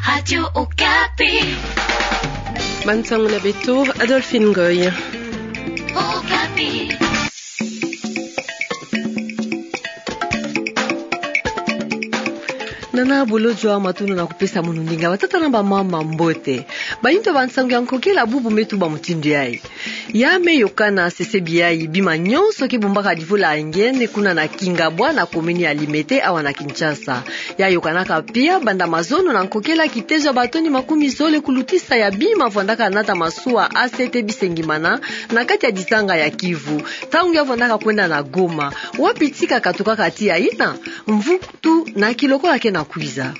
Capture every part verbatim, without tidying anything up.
Radio Okapi. Bansango na beto, Adolphine Ngoy. Okapi. Nana bolodjwa, matondo na kupesa mono ndinga. Batata na bamama, mbote. Bayindu ya bansango ya nkokela bubu me tuba mutindu yayi. Ya me yokana, sesebi yayi, bima nyonso ke bombaka divula ya ngene kuna na Kingabwa na komini ya Limete awa na Kinshasa. Ya yokanaka pia banda mazono na nkokela kitezo ya batoni makumi zole kulutisa ya bima vwandaka nata masuwa A C T Bisengimana na kati ya dizanga ya Kivu, ntangu ya vwandaka kwenda na Goma, wapi tika katukaka tiya yina. Mvu tu na kilokola ke na kwiza.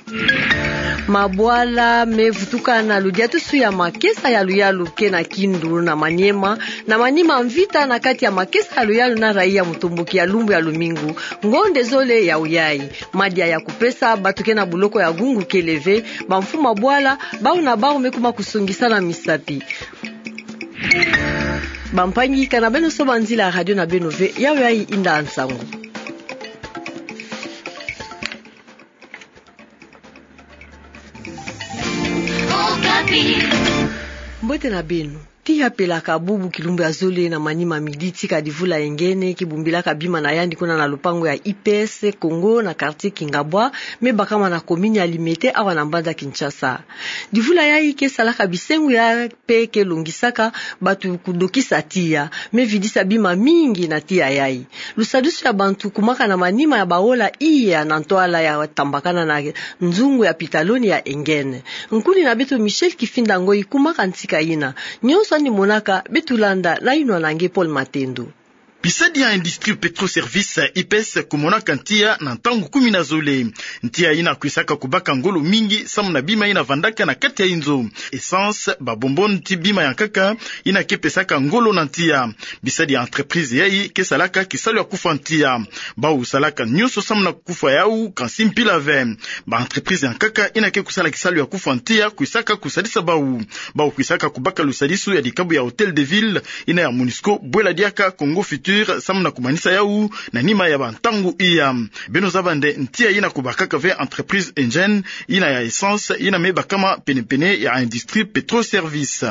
Mabwala me vutuka na ludiatusu ya makesa ya luyalu ke na Kindu na Maniema, na manima mvita na kati ya makesa ya luyalu na raia mutomboki ya lumbu ya lumingu, ngonde zole ya uyayi. Madia ya kupesa batu ke na buloko ya gungu kele ve, bamfumu ya bwala, bau na bau me kuma kusongisana misapi. Bampangi, kana beno soba nzila radio na beno ve, yayi inda nsangu. Mbote na beno. Tiya pelaka bubu kilumbu ya zole na manima midi tika divula ya ngene ke bombilaka bima na yandi kuna na lupangu ya I P S Congo na quartier Kingabwa, me bakama na komini ya Limete awa na mbanza Kinshasa. Divula yayi ke salaka bisengo ya pe ke longisaka batu kudokisa tiya, me vidisa bima mingi na tiya yayi. Lusadisu ya bantu kumaka na manima ya baola iya na ntwala ya tambakana na nzungu ya pitaloni ya Engen. Nkuni na beto Michel Kifinda Ngoyi kumaka ntika yina. Nyonso yandi monaka, beto landa na yinwa na nge Paul Matendo. Bisadi ya Industrie Petro Service, I P S, kumonaka ntiya na ntangu kumi na zole. Ntiya yina kwisaka kubaka ngolo mingi samu na bima yina vandaka na kati ya inzo. Essence, babonbon ti bima ya nkaka yina ke pesaka ngolo na ntiya. Bisadi ya entreprise yayi ke salaka kisalu ya kufwa ntiya. Bau salaka nyonso samu na kufwa yau, kansi mpila ve. Ba entreprise ya nkaka yina ke kusala kisalu ya kufwa ntiya kwisaka kusadisa bau. Bau kwisaka kubaka lusadisu ya dikabu ya Hôtel de Ville, yina ya Monusco bwela diaka Congo Futur samu na kumanisa yau na nima ya bantangu iya. Beno zaba nde ntiya yina kubakaka ve entreprise Engen, yina ya essence, yina me bakama penepene ya Industrie Petro Service.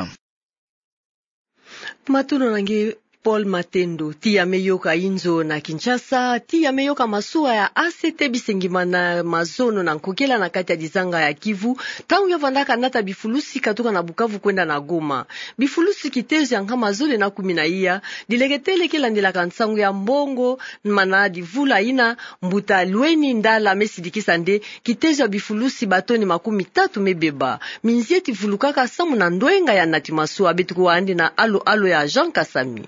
Matondo na nge Paul Matendo. Tiya me yoka inzo na Kinshasa, tiya me yoka masuwa ya A C T Bisengimana mazono na nkokela na kati ya dizanga ya Kivu, ntangu ya vandaka nata bifulusi katuka na Bukavu kwenda na Goma. Bifulusi kitezo ya nkama zole na kumi na iya, dileketele ke landilaka nsangu ya mbongo, mana divula yina, mbuta Lweni Ndala me sidikisa nde kitezo ya bifulusi batoni makumi tatu me beba. Minzieti vulukaka samu na ndwenga ya nati masuwa. Beto kuwa yandi na alo-alo ya Jean Kasami.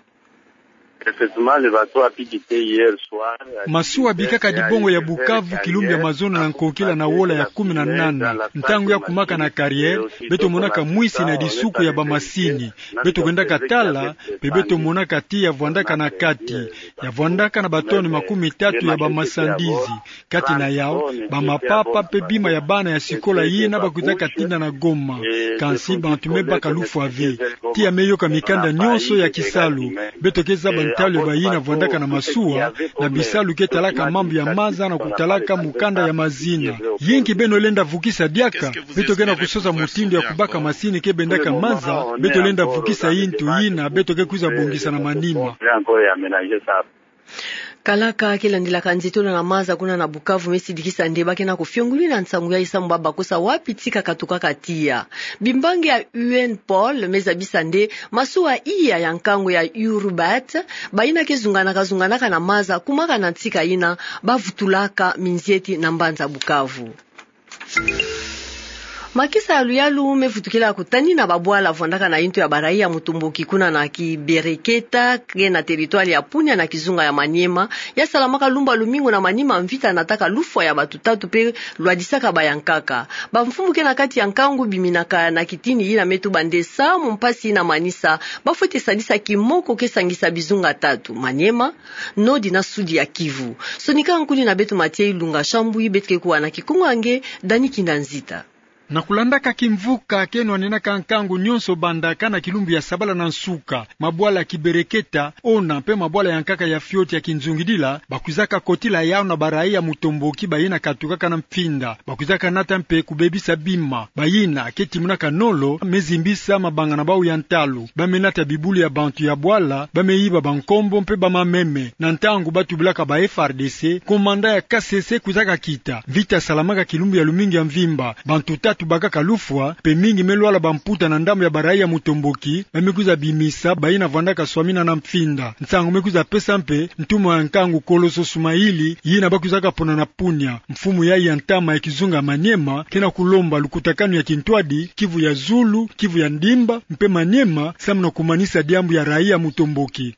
Effectivement, le bateau a pu quitter hier soir. Masuwa bikaka dibongo ya Bukavu kilumbu ya mazono na nkokila na wola ya kumi na nana. Ntangu ya kumaka na carrière, beto monaka mwisi na disuku ya bamasini. Beto kwendaka tala, mpe beto monaka tiya ya vwandaka na kati, ya vwandaka na batoni makumi tatu ya bamasandizi. Kati na yau, bamapapa mpe bima ya bana ya sikola yina bakwizaka tinda na Goma. Kansi bantu me baka lufwa ve. Tiya me yoka mikanda nyonso ya kisalu. Beto ke zaba ntalu ya bayina vwandaka na masuwa, na bisalu ke talaka mambu ya maza na kutalaka mukanda ya mazina. Yinki beno lenda vukisa diaka? Beto ke na kusosa mutindu ya kubaka masini ke bendaka maza, beto lenda vukisa yintu yina, beto ke kwiza bongisa na manima. Kalaka ke landilaka nzitona na maza kuna na Bukavu me sidikisa nde ba ke na kufiongulina nsangu yayi samu ba bakusa wapi tika katukaka tiya. Bimbangi ya U N Pol me zabisa nde masuwa iya ya nkangu ya Urubat, bayina ke zunganaka-zunganaka na maza kumaka na ntika yina, bavutulaka minzieti na mbanza Bukavu. Makesa ya luyalu me vutukila kutanina babwala vwandaka na yintu ya barayi ya mutumbuki kuna na Kibereketa, ke na territoire ya Punia na kizunga ya Maniema, ya salamaka lumbu ya lumingu na manima mvita nataka lufwa ya batu tatu mpe lwadisaka bayankaka. Bamfumu ke na kati ya nkangu biminaka na kitini yina me tuba nde samu mpasi yina manisa, bafwete sadisa kimoko ke sangisa bizunga tatu: Maniema, Nord na Sud ya Kivu. Sonika nkuni na beto Mathieu Ilunga Shambui, beto ke kuwa na kikunga nge Dani Kinda Nzita. Na kulandaka kimvuka ke nwaninaka nkangu nyonso bandaka na kilumbu ya sabala na nsuka, mabwala ya kibereketa, ona mpe mabwala ya nkaka ya fioti ya kinzungidila, bakwizaka kotila yawu na barayi ya mutomboki bayina katukaka na mfinda. Bakwizaka nata mpe kubebisa bima, bayina ke timonaka nolo, me zimbisa mabanga na bawu ya ntalu. Ba me nata bibulu ya bantu ya bwala, ba me yiba bankombo mpe ba mameme. Na ntangu ba tubilaka ba F R D C, komanda ya Kasese kwizaka kita. Mvita salamaka kilumbu ya lumingu ya mvimba. Bantu tatu bakaka lufwa, mpe mingi me lwala bamputa na ndambu ya barayi ya mutomboki, ba me kwiza bimisa bayina vwandaka swamina na mfinda. Nsangu me kwiza pesa mpe, ntumwa ya nkangu Koloso Sumaili, yina bakwizaka pona na Punia. Mfumu yayi ya ntama ya kizunga Maniema, ke na kulomba lukutakanu ya kintwadi, Kivu ya Zulu, Kivu ya Ndimba, mpe Maniema, samu na kumanisa diambu ya rayi ya mutomboki.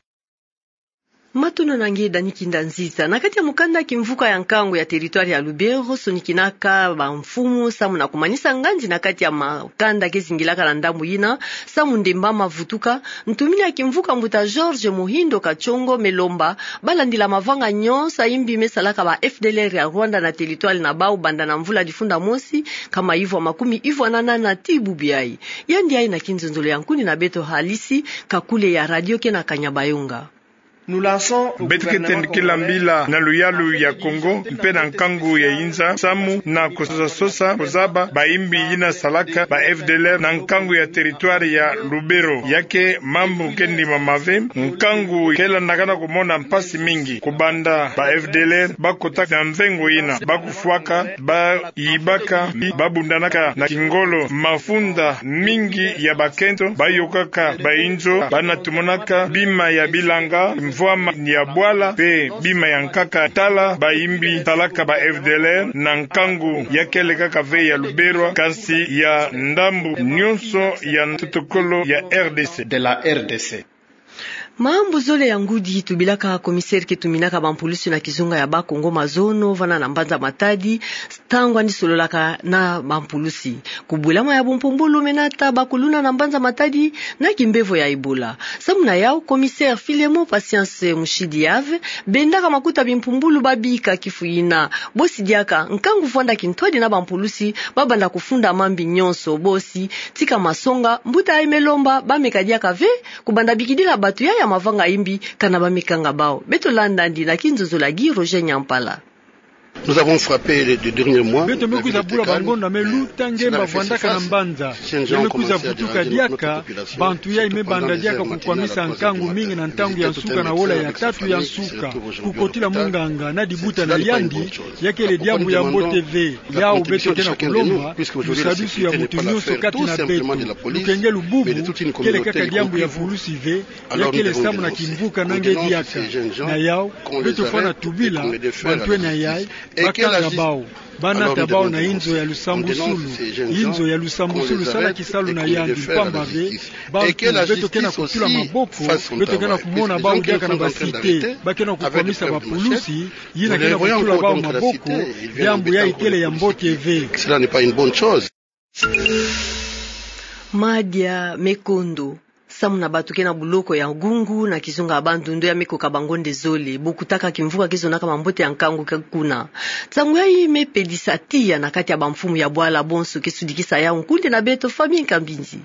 Matondo na nge Dani Kinda Nziza. Na kati ya mukanda kimvuka ya nkangu ya territoire ya Lubero, sonikinaka bamfumu samu na kumanisa ngandi na kati ya makanda ke zingilaka na ndambu yina, samu ndemba mavutuka, ntumini ya kimvuka mbuta George Muhindo Kachongo me lomba, balandila mavanga nyonso ya imbi me salaka ba F D L R ya Rwanda na territoire na bawu banda na mvula difunda mosi, kama ivwa makumi ivwa na nana tii bubu yayi. Yandi ayi na kinzonzolo ya nkuni na beto Halisi Kakule ya radio ke na Kanyabayonga. Beto ke tendikila mbila na luyalu ya Kongo, mpe na nkangu ya inza, samu na kusosa-sosa, kuzaba ba imbi yina salaka ba F D L R na nkangu ya territoire ya Lubero. Ya ke mambu ke ndima mave, nkangu ke landakana kumona mpasi mingi. Kubanda ba F D L R bakota na mvengo yina, bakufwaka, bayibaka, babundanaka na kingolo, mafunda mingi ya bakento, bayokaka bayinzo, ba na tumonaka bima ya bilanga, mvwama ya bwala, mpe bima ya nkaka. Tala ba imbi salaka ba F D L R na nkangu ya ke lekaka ve ya Lubero, kasi ya ndambu nyonso ya ntotokolo ya R D C. De la R D C. Mambu zole ya ngudi tubilaka commissaire ke tuminaka bampulusi na kizunga ya Bakongo mazono vana na mbanza Matadi, ntangu yandi sololaka na bampulusi. Kubwelama ya bumpumbulu me nata bakuluna na mbanza Matadi na kimbevo ya Ebola. Samu na yawu, commissaire Filemon Patience Mushidi Yave bendaka makuta bimpumbulu babika kifu yina. Bosi diaka, nkangu vwanda kintwadi na bampulusi, babanda kufunda mambi nyonso. Bosi tika masonga, mbuta yayi me lomba, bameka diaka ve kubanda bikidila bato yayi ya mavanga imbi, kana ba me kanga bawu. Beto landa yandi na kinzonzolo ya Guy Roger Nyampala. Nous avons frappé les deux derniers mois. Beto me kwiza bula bangonda me luta nge mba vwandaka na mbanza. Ya me kwiza vutuka diaka, bantu yayi me banda diaka kukwamisa nkangu mingi na ntangu ya nsuka na wola ya tatu ya nsuka. Kukotila munganga na dibuta na yandi, ya kele diambu ya mbote ve. Yawu beto ke na kulomba, lusadisu ya mutu nyonso kati na beto. Lukenge lububu kele kaka diambu ya pulusi ve, ya kele samu na kimvuka na nge diaka. Na yawu, beto fwana tubila bantwenia yayi, bakanga bawu, banata bawu na inzo ya lusambusulu. Inzo ya lusambusulu sala kisalu na yandi mpamba ve. Bantu beto ke na kutula maboko, beto ke na kumona bawu diaka na ba cité, ba ke na kukwamisa bapulusi, yina ke na kutula bawu maboko, diambu yayi kele ya mbote ve. Cela n'est pas une bonne chose. Madia me kondo. Samu na bato ke na buloko ya Gungu na kizunga ya Bandundu, ya me koka bangonda zole. Bokutaka kimvuka ke zonaka mambote ya nkangu ke kuna. Nsangu yayi me pedisa tiya na kati ya bamfumu ya bwala bonso ke sudikisa yawu. Nkundi na beto Fabien Kambinzi.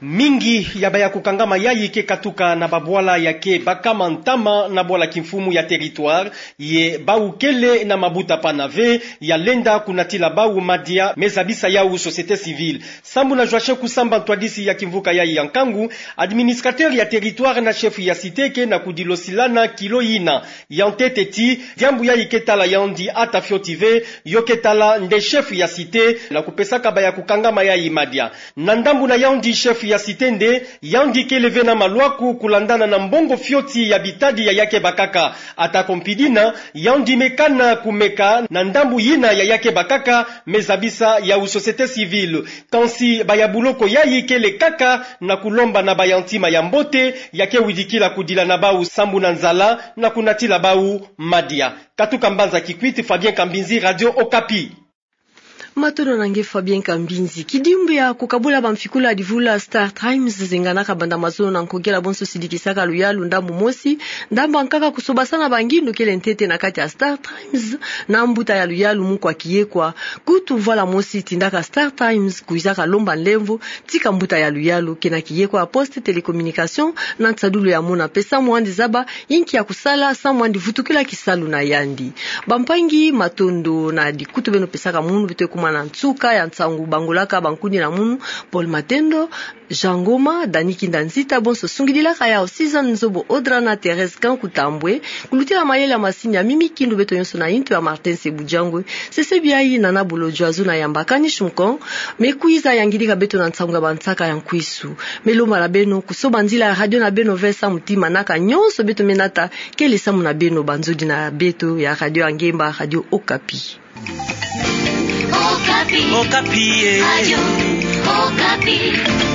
Mingi ya baya kukangama yayi ke katuka na babwala ya ke bakama ntama na bwala kimfumu ya territoire, ye bawu kele na mabuta pana ve ya lenda kunatila bawu madia, me zabisa yawu société civile. Sambu na Joachim Kusamba, ntwadisi ya kimvuka yayi ya nkangu, administrateur ya territoire na chef ya cité ke na kudilosilana kilo yina. Ya ntete ti, diambu yayi ke tala yandi ata fioti ve, yo ke tala nde chef ya cité, na kupesaka baya kukangama yayi madia. Na ndambu na yandi chef ya cité nde, yandi kele ve na malwaku kulandana na mbongo fioti ya bitadi ya ya ke bakaka. Atako mpi dina, yandi me kana kumeka na ndambu yina ya ya ke bakaka, me zabisa yawu société civile. Kansi baya buloko yayi kele kaka na kulomba na baya ntima ya mbote, ya ke widikila kudila na bawu sambu na nzala, na kunatila bawu madia. Katuka mbanza Kikwit, Fabien Kambinzi, Radio Okapi. Matondo na nge Fabien Kambinzi. Kidimbu ya kukabula bamfikula ya livula Star Times zinganaka banda mazono na nkogela bonso sidikisaka luyalu ndambu mosi, ndambu ya nkaka kusobasana bangindu kele ntete na kati ya Star Times, na mbuta ya luyalu mukwa kiyekwa. Kutu mvwala mosi tindaka Star Times kuizaka lomba nlemvo, tika mbuta ya luyalu, kena kiyekwa ya Poste Télécommunication, na nsadulu ya mona pe samu andi zaba inki ya kusala samu andi vutukila kisalu na yandi. Bampangi, matondo na dikutu beno pesaka munu. Beto kuma na nsuka ya nsangu bangolaka bankuni na munu: Paul Matendo, Jean Ngoma, Dani Kinda Nzita, bonso sungidilaka yao Season Nzobo Odra na Thérèse Kanku Tambwe. Kulutila mayele ya masini ya Mimi Kindu, beto nyonso na intu ya Martin Sebujangwe. Sesebi ayi Nana Bolo Joazo na yamba Kani Shumkon, me kwiza yangidika beto na nsangu ya bansaka ya nkwisu. Me lomba na beno kusoba nzila ya radio na beno ve samu ti manaka nyonso beto me nata kele samu na beno, banzodi na beto ya radio ya ngemba, Radio Okapi. Okapi. Okapi, eh. Radio Okapi.